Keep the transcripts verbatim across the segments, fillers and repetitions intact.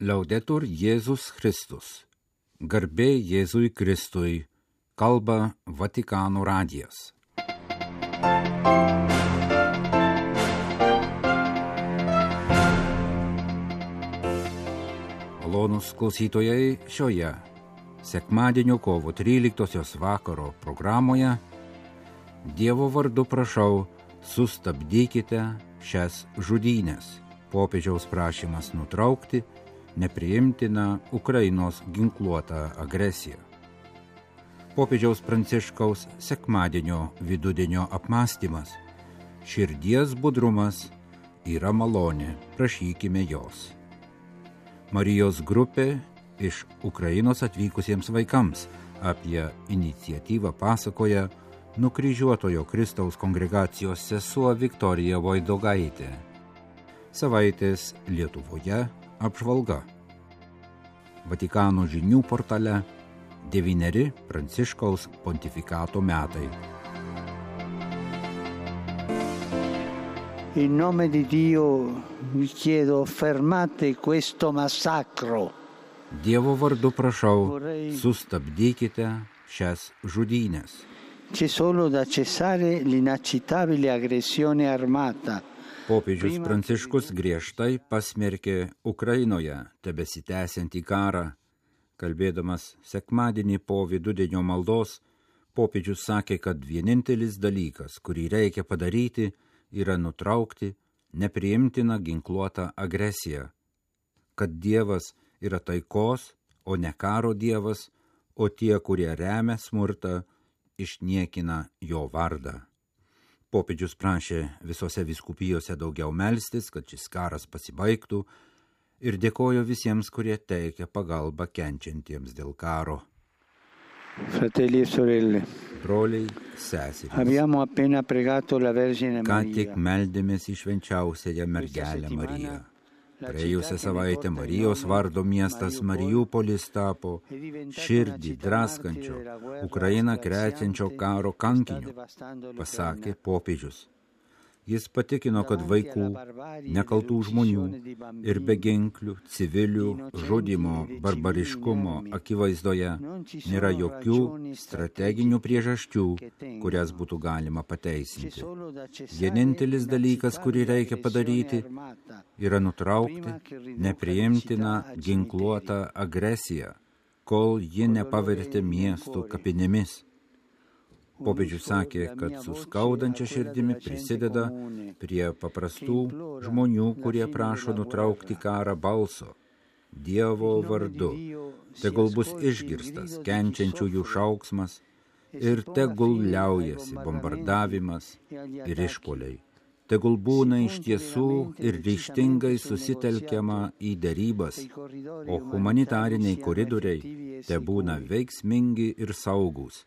Laudetur Jėzus Kristus. Garbė Jėzui Kristui. Kalba Vatikano radijas. Malonūs klausytojai, šioje sekmadienio kovo tryliktosios vakaro programoje Dievo vardu prašau, sustabdykite šias žudynes. Popiežiaus prašymas nutraukti nepriimtiną Ukrainos ginkluotą agresiją. Popiežiaus Pranciškaus sekmadienio vidudienio apmąstymas. Širdies budrumas yra malonė, prašykime jos. Marijos grupė iš Ukrainos atvykusiems vaikams apie iniciatyvą pasakoja nukryžiuotojo Kristaus kongregacijos sesuo Viktorija Voidogaitė. Savaitės Lietuvoje apžvalga. Vatikano žinių portale devyneri Pranciškaus pontifikato metai. In nome di Dio vi chiedo fermate questo massacro. Dievo vardu prašau, sustabdykite šias žudynes. C'è solo da cessare l'inaccettabile aggressione armata. Popiežius Pranciškus griežtai pasmerkė Ukrainoje tebesitęsiantį karą. Kalbėdamas sekmadienį po vidudienio maldos, popiežius sakė, kad vienintelis dalykas, kurį reikia padaryti, yra nutraukti nepriimtiną ginkluotą agresiją. Kad Dievas yra taikos, o ne karo Dievas, o tie, kurie remia smurtą, išniekina jo vardą. Popiežius prašė visose vyskupijose daugiau melstis, kad šis karas pasibaigtų, ir dėkojo visiems, kurie teikia pagalbą kenčiantiems dėl karo. Fratelli e sorelle, broliai, seserys, abbiamo appena pregato la Vergine ką Maria. tik meldėmės į švenčiausiąją mergelę Mariją. Praėjusią savaitę Marijos vardo miestas Mariupolis tapo širdį draskančio, Ukrainą krečiančio karo kankiniu, pasakė popiežius. Jis patikino, kad vaikų, nekaltų žmonių ir beginklių, civilių, žudimo, barbariškumo akivaizdoje nėra jokių strateginių priežasčių, kurias būtų galima pateisinti. Vienintelis dalykas, kurį reikia padaryti, yra nutraukti nepriimtiną ginkluotą agresiją, kol ji nepavertė miestų kapinėmis. Popiežius sakė, kad su skaudančia širdimi prisideda prie paprastų žmonių, kurie prašo nutraukti karą balso, Dievo vardu. Tegul bus išgirstas kenčiančiųjų šauksmas ir tegul liaujasi bombardavimas ir išpuoliai. Tegul būna iš tiesų ir ryžtingai susitelkiama į derybas, o humanitariniai koridoriai te būna veiksmingi ir saugūs.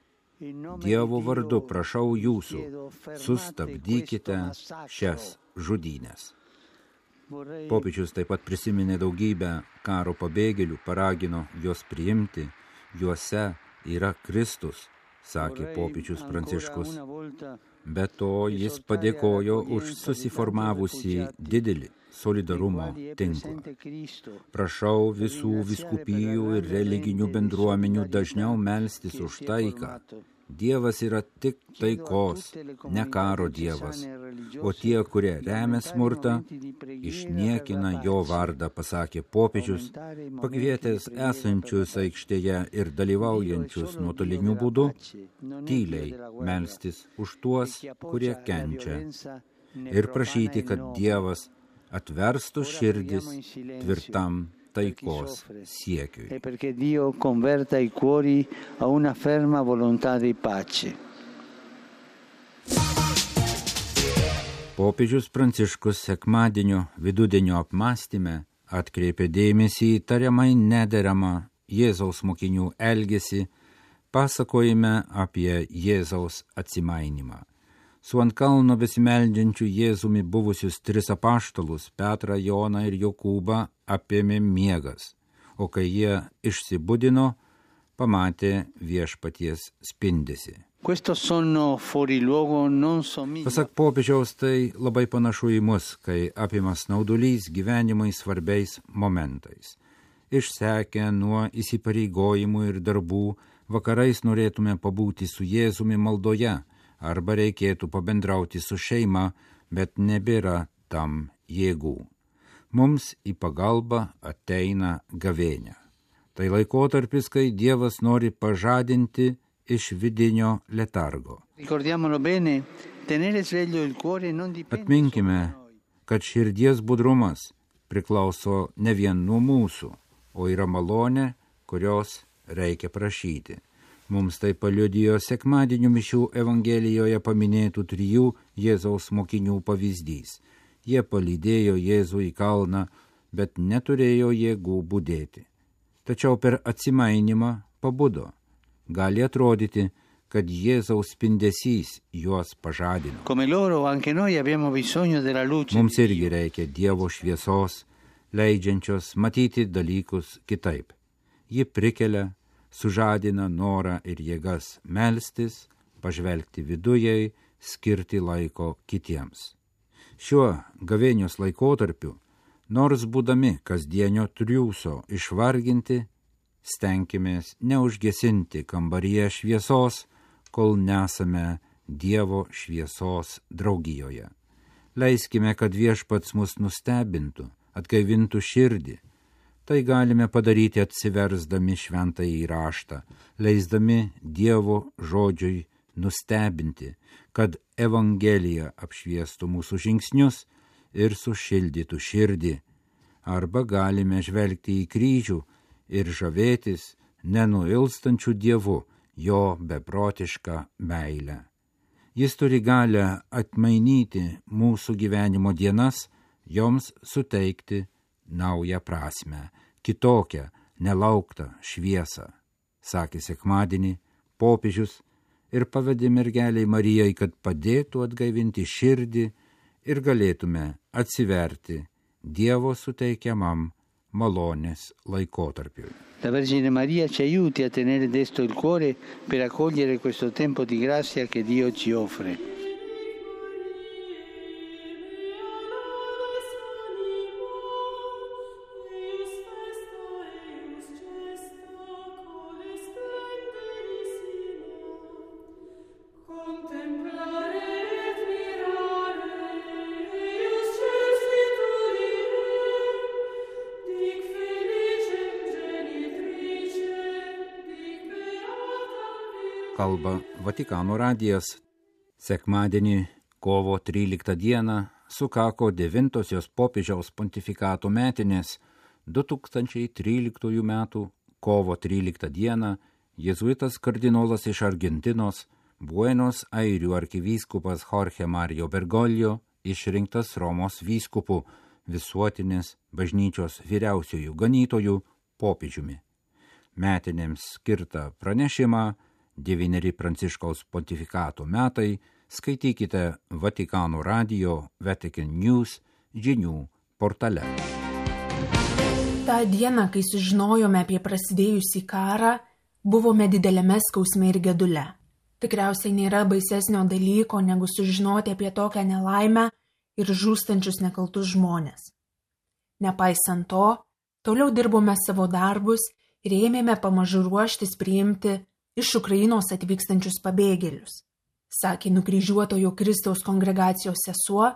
Dievo vardu prašau jūsų, sustabdykite šias žudynes. Popiežius taip pat prisiminė daugybę karo pabėgėlių, paragino juos priimti, juose yra Kristus, sakė popiežius Pranciškus. Be to jis padėkojo už susiformavusį didelį solidarumo tinklą. Prašau visų vyskupijų ir religinių bendruomenių dažniau melstis už taiką. Dievas yra tik taikos, ne karo Dievas, o tie, kurie remia smurtą, išniekina jo vardą, pasakė popiežius, pakvietęs esančius aikštėje ir dalyvaujančius nuotoliniu būdu, tyliai melstis už tuos, kurie kenčia, ir prašyti, kad Dievas atverstų širdis tvirtam taikos siekiui. E perché Dio converta i cuori a una ferma volontà di pace. Popiežius Pranciškus sekmadienio vidudienio apmąstyme atkreipė dėmesį į tariamai nederamą Jėzaus mokinių elgesį, pasakojime apie Jėzaus atsimainimą. Su ant kalno besimeldžiančiu Jėzumi buvusius tris apaštalus Petrą, Joną ir Jokūbą apėmė miegas, o kai jie išsibudino, pamatė viešpaties spindesį. Pasak popiežiaus, tai labai panašu į mus, kai apimas snaudulys gyvenimai svarbiais momentais. išsekę nuo įsipareigojimų ir darbų, vakarais norėtume pabūti su Jėzumi maldoje, arba reikėtų pabendrauti su šeima, bet nebėra tam jėgų. Mums į pagalbą ateina gavėnia. Tai laikotarpis, kai Dievas nori pažadinti iš vidinio letargo. Atminkime, kad širdies budrumas priklauso ne vien nuo mūsų, o yra malonė, kurios reikia prašyti. Mums tai paliudijo sekmadienio mišių Evangelijoje paminėtų trijų Jėzaus mokinių pavyzdys. Jie palydėjo Jėzų į kalną, bet neturėjo jėgų budėti. Tačiau per atsimainimą pabudo. Gali atrodyti, kad Jėzaus spindesys juos pažadino. Mums irgi reikia Dievo šviesos, leidžiančios matyti dalykus kitaip. Ji prikelia, sužadina norą ir jėgas melstis, pažvelgti vidujai, skirti laiko kitiems. Šiuo gavėnios laikotarpiu, nors būdami kasdienio triūso išvarginti, stenkimės neužgesinti kambaryje šviesos, kol nesame Dievo šviesos draugijoje. Leiskime, kad Viešpats mus nustebintų, atgaivintų širdį. Tai galime padaryti atsiversdami šventąjį raštą, leisdami Dievo žodžiui nustebinti, kad Evangelija apšviestų mūsų žingsnius ir sušildytų širdį. Arba galime žvelgti į kryžių ir žavėtis nenuilstančių Dievu, jo beprotišką meilę. Jis turi galią atmainyti mūsų gyvenimo dienas, joms suteikti naują prasmę, kitokią, nelauktą šviesą, sakė sekmadienį popiežius ir pavedė mergeliai Marijai, kad padėtų atgaivinti širdį ir galėtume atsiverti Dievo suteikiamam malonės laikotarpiui. La Vergine Maria ci aiuti a tenere desto il cuore per accogliere questo tempo di grazia che Dio ci offre. Kalba Vatikano radijas. Sekmadienį, kovo tryliktą dieną, sukako devintosios popiežiaus pontifikato metinės. du tūkstančiai tryliktųjų metų kovo tryliktą dieną jėzuitas kardinolas iš Argentinos, Buenos Airių arkivyskupas Jorge Mario Bergoglio, išrinktas Romos vyskupu, visuotinės bažnyčios vyriausiojų ganytojų popiežiumi. Metinėms skirtą pranešimą Devyneri Pranciškaus pontifikato metai skaitykite Vatikano radijo Vatican News žinių portale. Ta diena, kai sužinojome apie prasidėjusį karą, buvome didelėme skausme ir gedule. Tikriausiai nėra baisesnio dalyko, negu sužinoti apie tokią nelaimę ir žūstančius nekaltus žmonės. Nepaisant to, toliau dirbome savo darbus ir ėmėme pamažu ruoštis priimti iš Ukrainos atvykstančius pabėgėlius, sakė nukryžiuotojo Kristaus kongregacijos sesuo,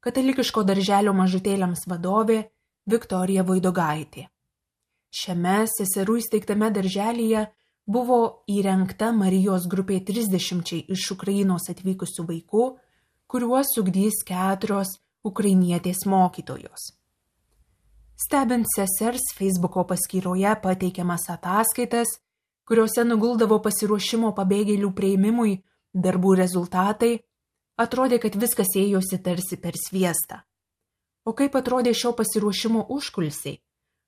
katalikiško darželio mažutėliams vadovė Viktorija Vaidogaitė. Šiame seserų įsteigtame darželyje buvo įrengta Marijos grupė trisdešimčiai iš Ukrainos atvykusių vaikų, kuriuos ugdys keturios ukrainietės mokytojos. Stebint sesers Facebooko paskyroje pateikiamas ataskaitas, kuriuose nuguldavo pasiruošimo pabėgėlių priėmimui darbų rezultatai, atrodė, kad viskas ėjosi tarsi per sviestą. O kaip atrodė šio pasiruošimo užkulsiai?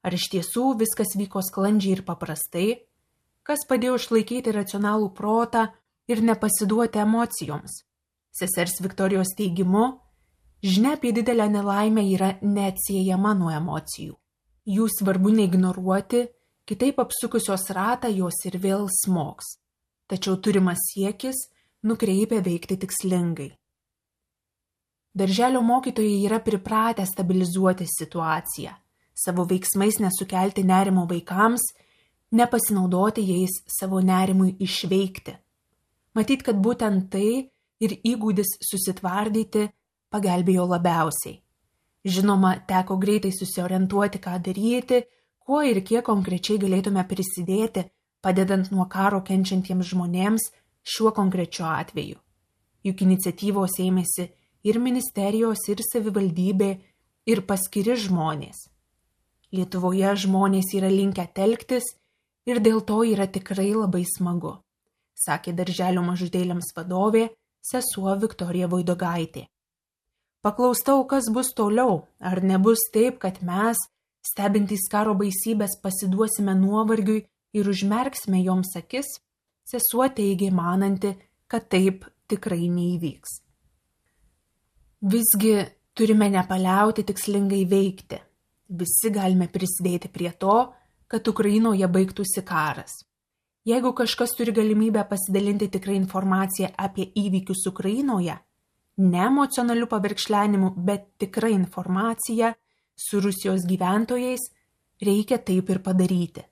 Ar iš tiesų viskas vyko sklandžiai ir paprastai? Kas padėjo išlaikyti racionalų protą ir nepasiduoti emocijoms? Sesers Viktorijos teigimu, žinia apie didelę nelaimę yra neatsiejama nuo emocijų. Jų svarbu neignoruoti, kitaip apsukusios ratą jos ir vėl smogs. Tačiau turimas siekis nukreipia veikti tikslingai. Darželio mokytojai yra pripratę stabilizuoti situaciją, savo veiksmais nesukelti nerimo vaikams, nepasinaudoti jais savo nerimui išveikti. Matyt, kad būtent tai ir įgūdis susitvardyti pagelbėjo labiausiai. Žinoma, teko greitai susiorientuoti, ką daryti, kuo ir kiek konkrečiai galėtume prisidėti, padedant nuo karo kenčiantiems žmonėms šiuo konkrečiu atveju. Juk iniciatyvos ėmėsi ir ministerijos, ir savivaldybė, ir paskiri žmonės. Lietuvoje žmonės yra linkę telktis ir dėl to yra tikrai labai smagu, sakė darželio mažutėliams vadovė sesuo Viktorija Voidogaitė. Paklaustau, kas bus toliau, ar nebus taip, kad mes, stebintys karo baisybės, pasiduosime nuovargiui ir užmerksime joms akis, sesuo teigė mananti, kad taip tikrai neįvyks. Visgi turime nepaliauti tikslingai veikti. Visi galime prisidėti prie to, kad Ukrainoje baigtųsi karas. Jeigu kažkas turi galimybę pasidalinti tikrą informaciją apie įvykius Ukrainoje, ne emocionaliu pavirkšlenimu, bet tikra informacija su Rusijos gyventojais, reikia taip ir padaryti.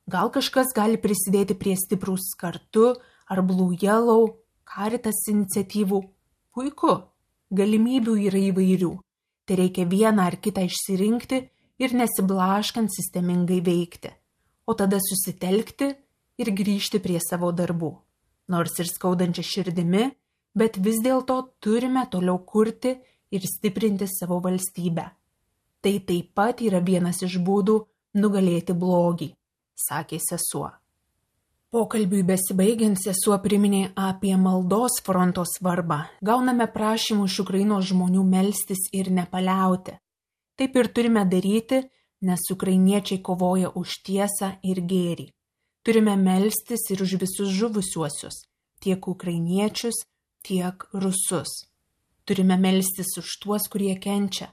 Gal kažkas gali prisidėti prie Stiprūs kartu ar Blue Yellow, Caritas iniciatyvų. Puiku, galimybių yra įvairių. Tai reikia vieną ar kitą išsirinkti ir nesiblaškant sistemingai veikti, o tada susitelkti ir grįžti prie savo darbų. Nors ir skaudančia širdimi, bet vis dėlto turime toliau kurti ir stiprinti savo valstybę. Tai taip pat yra vienas iš būdų nugalėti blogį, sakė sesuo. Pokalbiui besibaigiant sesuo priminė apie maldos fronto svarbą. Gauname prašymų iš Ukrainos žmonių melstis ir nepaliauti. Taip ir turime daryti, nes ukrainiečiai kovoja už tiesą ir gėrį. Turime melstis ir už visus žuvusiuosius, tiek ukrainiečius, tiek rusus. Turime melstis už tuos, kurie kenčia.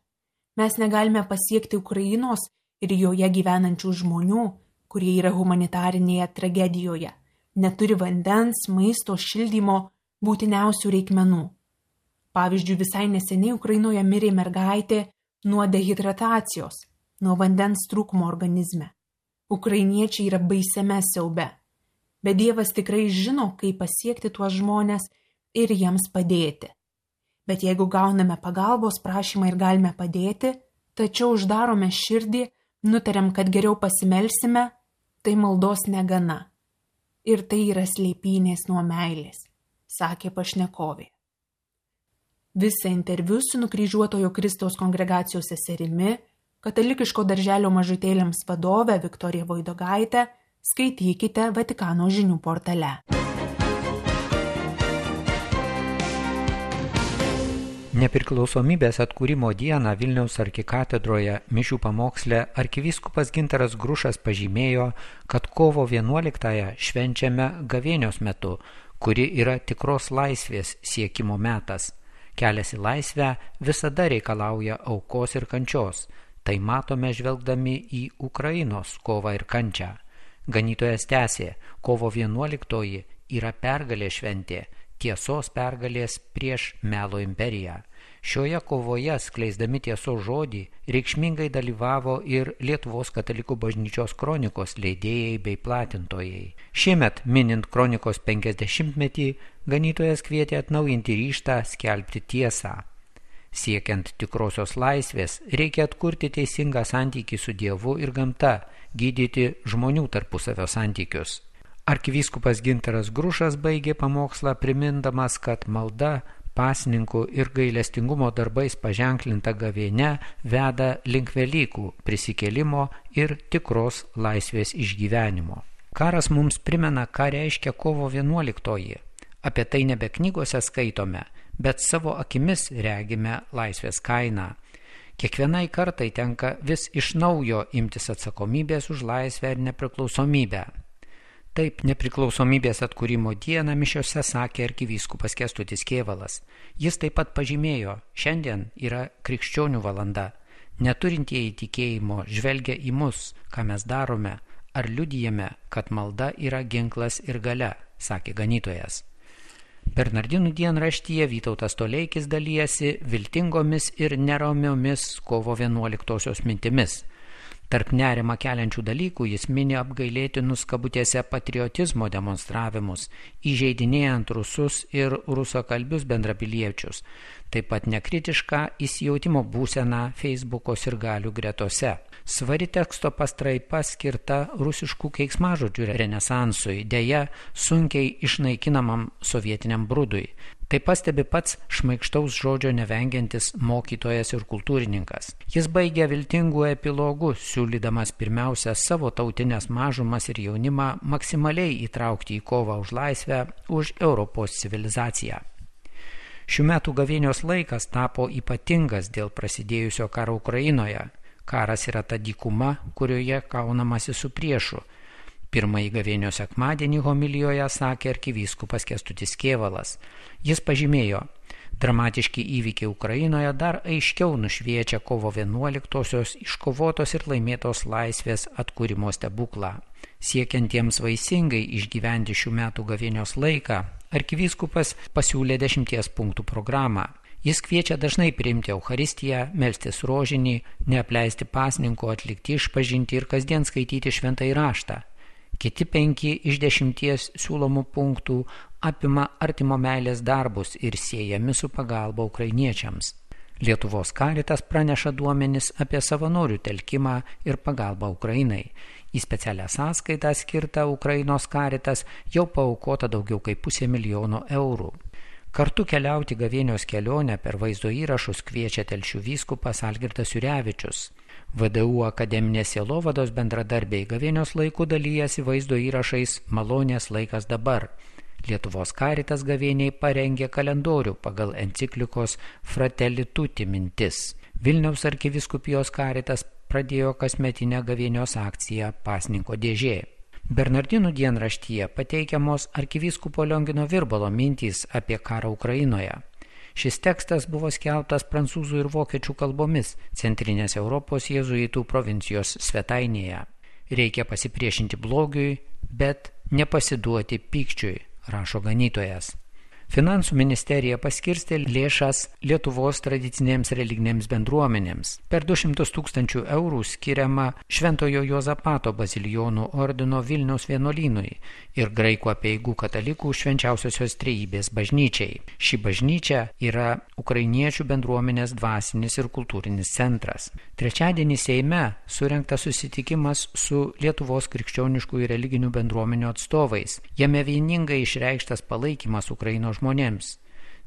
Mes negalime pasiekti Ukrainos ir joje gyvenančių žmonių, kurie yra humanitarinėje tragedijoje, neturi vandens, maisto, šildymo, būtiniausių reikmenų. Pavyzdžiui, visai neseniai Ukrainoje mirė mergaitė nuo dehidratacijos, nuo vandens trūkumo organizme. Ukrainiečiai yra baisiame siaube, bet Dievas tikrai žino, kaip pasiekti tuos žmones ir jiems padėti. Bet jeigu gauname pagalbos prašymą ir galime padėti, tačiau uždarome širdį, nutarėm, kad geriau pasimelsime, tai maldos negana. Ir tai yra slėpynės nuo meilės, sakė pašnekovė. Visą interviu su nukryžiuotojo Kristaus kongregacijos seserimi, katalikiško darželio mažutėliams vadove Viktorija Voidogaitė, skaitykite Vatikano žinių portale. Nepriklausomybės atkūrimo dieną Vilniaus arkikatedroje mišių pamoksle arkivyskupas Gintaras Grušas pažymėjo, kad kovo vienuoliktąją švenčiame gavėnios metu, kuri yra tikros laisvės siekimo metas. Kelias į laisvę visada reikalauja aukos ir kančios. Tai matome žvelgdami į Ukrainos kovą ir kančią. Ganytojas tęsė, kovo vienuoliktoji yra pergalės šventė, tiesos pergalės prieš melo imperiją. Šioje kovoje, skleisdami tiesos žodį, reikšmingai dalyvavo ir Lietuvos katalikų bažnyčios kronikos leidėjai bei platintojai. Šiemet, minint kronikos penkiasdešimtmetį, ganytojas kvietė atnaujinti ryžtą skelbti tiesą. Siekiant tikrosios laisvės, reikia atkurti teisingą santykį su Dievu ir gamta, gydyti žmonių tarpusavio santykius. Arkivyskupas Gintaras Grušas baigė pamokslą primindamas, kad malda, pasninkų ir gailestingumo darbais paženklinta gavėnia veda link Velykų, prisikėlimo ir tikros laisvės išgyvenimo. Karas mums primena, ką reiškia kovo vienuoliktoji. Apie tai nebe knygose skaitome, bet savo akimis regime laisvės kainą. Kiekvienai kartai tenka vis iš naujo imtis atsakomybės už laisvę ir nepriklausomybę. Taip, nepriklausomybės atkūrimo dieną mišiose sakė arkivyskupas Kęstutis Kėvalas. Jis taip pat pažymėjo, šiandien yra krikščionių valanda. Neturintieji tikėjimo žvelgia į mus, ką mes darome, ar liudijame, kad malda yra ginklas ir galia, sakė ganytojas. Bernardinų dienraštyje Vytautas Toleikis dalijasi viltingomis ir neramiomis kovo vienuoliktosios mintimis. Tarp nerimą keliančių dalykų jis mini apgailėtinus kabutėse patriotizmo demonstravimus, įžeidinėjant rusus ir rusakalbius bendrapiliečius, taip pat nekritišką įsijautimo būseną Facebooko sirgalių gretose. Svari teksto pastraipa skirta rusiškų keiksmažodžių renesansui, deja sunkiai išnaikinamam sovietiniam brudui. Tai pastebi pats šmaikštaus žodžio nevengiantis mokytojas ir kultūrininkas. Jis baigia viltingų epilogų, siūlydamas pirmiausia savo tautinės mažumas ir jaunimą maksimaliai įtraukti į kovą už laisvę, už Europos civilizaciją. Šių metų gavėnios laikas tapo ypatingas dėl prasidėjusio karo Ukrainoje. Karas yra ta dykuma, kurioje kaunamasi su priešu. Pirmąjį gavėnio sekmadienį homilijoje sakė arkivyskupas Kęstutis Kėvalas. Jis pažymėjo, dramatiški įvykiai Ukrainoje dar aiškiau nušviečia kovo vienuoliktosios iškovotos ir laimėtos laisvės atkūrimo stebuklą. Siekiantiems vaisingai išgyventi šių metų gavėnios laiką, arkivyskupas pasiūlė dešimties punktų programą. Jis kviečia dažnai priimti Eucharistiją, melstis rožinį, neapleisti pasninko, atlikti išpažinti ir kasdien skaityti šventąjį raštą. Kiti penki iš dešimties siūlomų punktų apima artimo meilės darbus ir siejami su pagalba ukrainiečiams. Lietuvos Caritas praneša duomenis apie savanorių telkimą ir pagalbą Ukrainai. Į specialią sąskaitą skirtą Ukrainos Caritas jau paaukota daugiau kaip pusė milijono eurų. Kartu keliauti gavėnios kelionę per vaizdo įrašus kviečia Telšių vyskupas Algirdas Jurevičius. V D U akademinės sielovados bendradarbiai gavėnios laiku dalyjasi vaizdo įrašais Malonės laikas dabar. Lietuvos Caritas gavėniai parengė kalendorių pagal enciklikos Fratelli Tutti mintis. Vilniaus arkivyskupijos Caritas pradėjo kasmetinę gavėnios akciją Pasninko dėžė. Bernardinų dienraštyje pateikiamos arkivyskupo Liongino Virbalo mintys apie karą Ukrainoje. Šis tekstas buvo skelbtas prancūzų ir vokiečių kalbomis Centrinės Europos jėzuitų provincijos svetainėje. Reikia pasipriešinti blogiui, bet nepasiduoti pykčiui, rašo ganytojas. Finansų ministerija paskirstė lėšas Lietuvos tradicinėms religinėms bendruomenėms. Per du šimtus tūkstančių eurų skiriama Šventojo Juozapato bazilijonų ordino Vilniaus vienuolynui ir graikų apeigų katalikų švenčiausiosios trejybės bažnyčiai. Ši bažnyčia yra ukrainiečių bendruomenės dvasinis ir kultūrinis centras. Trečiadienį Seime surengtas susitikimas su Lietuvos krikščioniškų ir religinių bendruomenių atstovais. Jame vieningai išreikštas palaikymas Ukrainos žmonėms.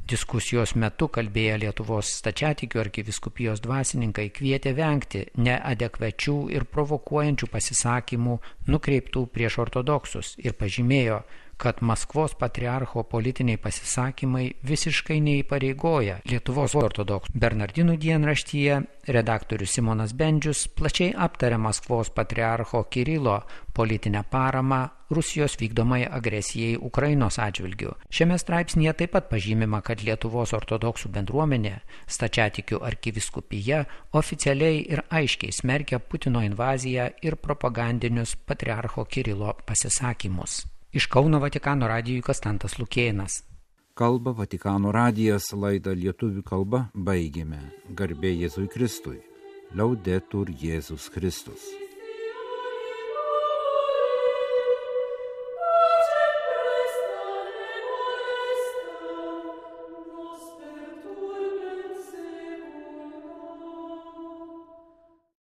Diskusijos metu kalbėję Lietuvos stačiatikių arkivyskupijos dvasininkai kvietė vengti neadekvačių ir provokuojančių pasisakymų nukreiptų prieš ortodoksus ir pažymėjo, kad Maskvos patriarcho politiniai pasisakymai visiškai neįpareigoja Lietuvos ortodoksų. Bernardinų dienraštyje redaktorius Simonas Bendžius plačiai aptarė Maskvos patriarcho Kirilo politinę paramą Rusijos vykdomai agresijai Ukrainos atžvilgiu. Šiame straipsnyje taip pat pažymima, kad Lietuvos ortodoksų bendruomenė, stačiatikių arkivyskupija oficialiai ir aiškiai smerkia Putino invaziją ir propagandinius patriarcho Kirilo pasisakymus. Iš Kauno Vatikano radijui Kastantas Lukėnas. Kalba Vatikano radijas, laidą lietuvių kalba baigėme. Garbė Jėzui Kristui. Laudetur Jėzus Kristus.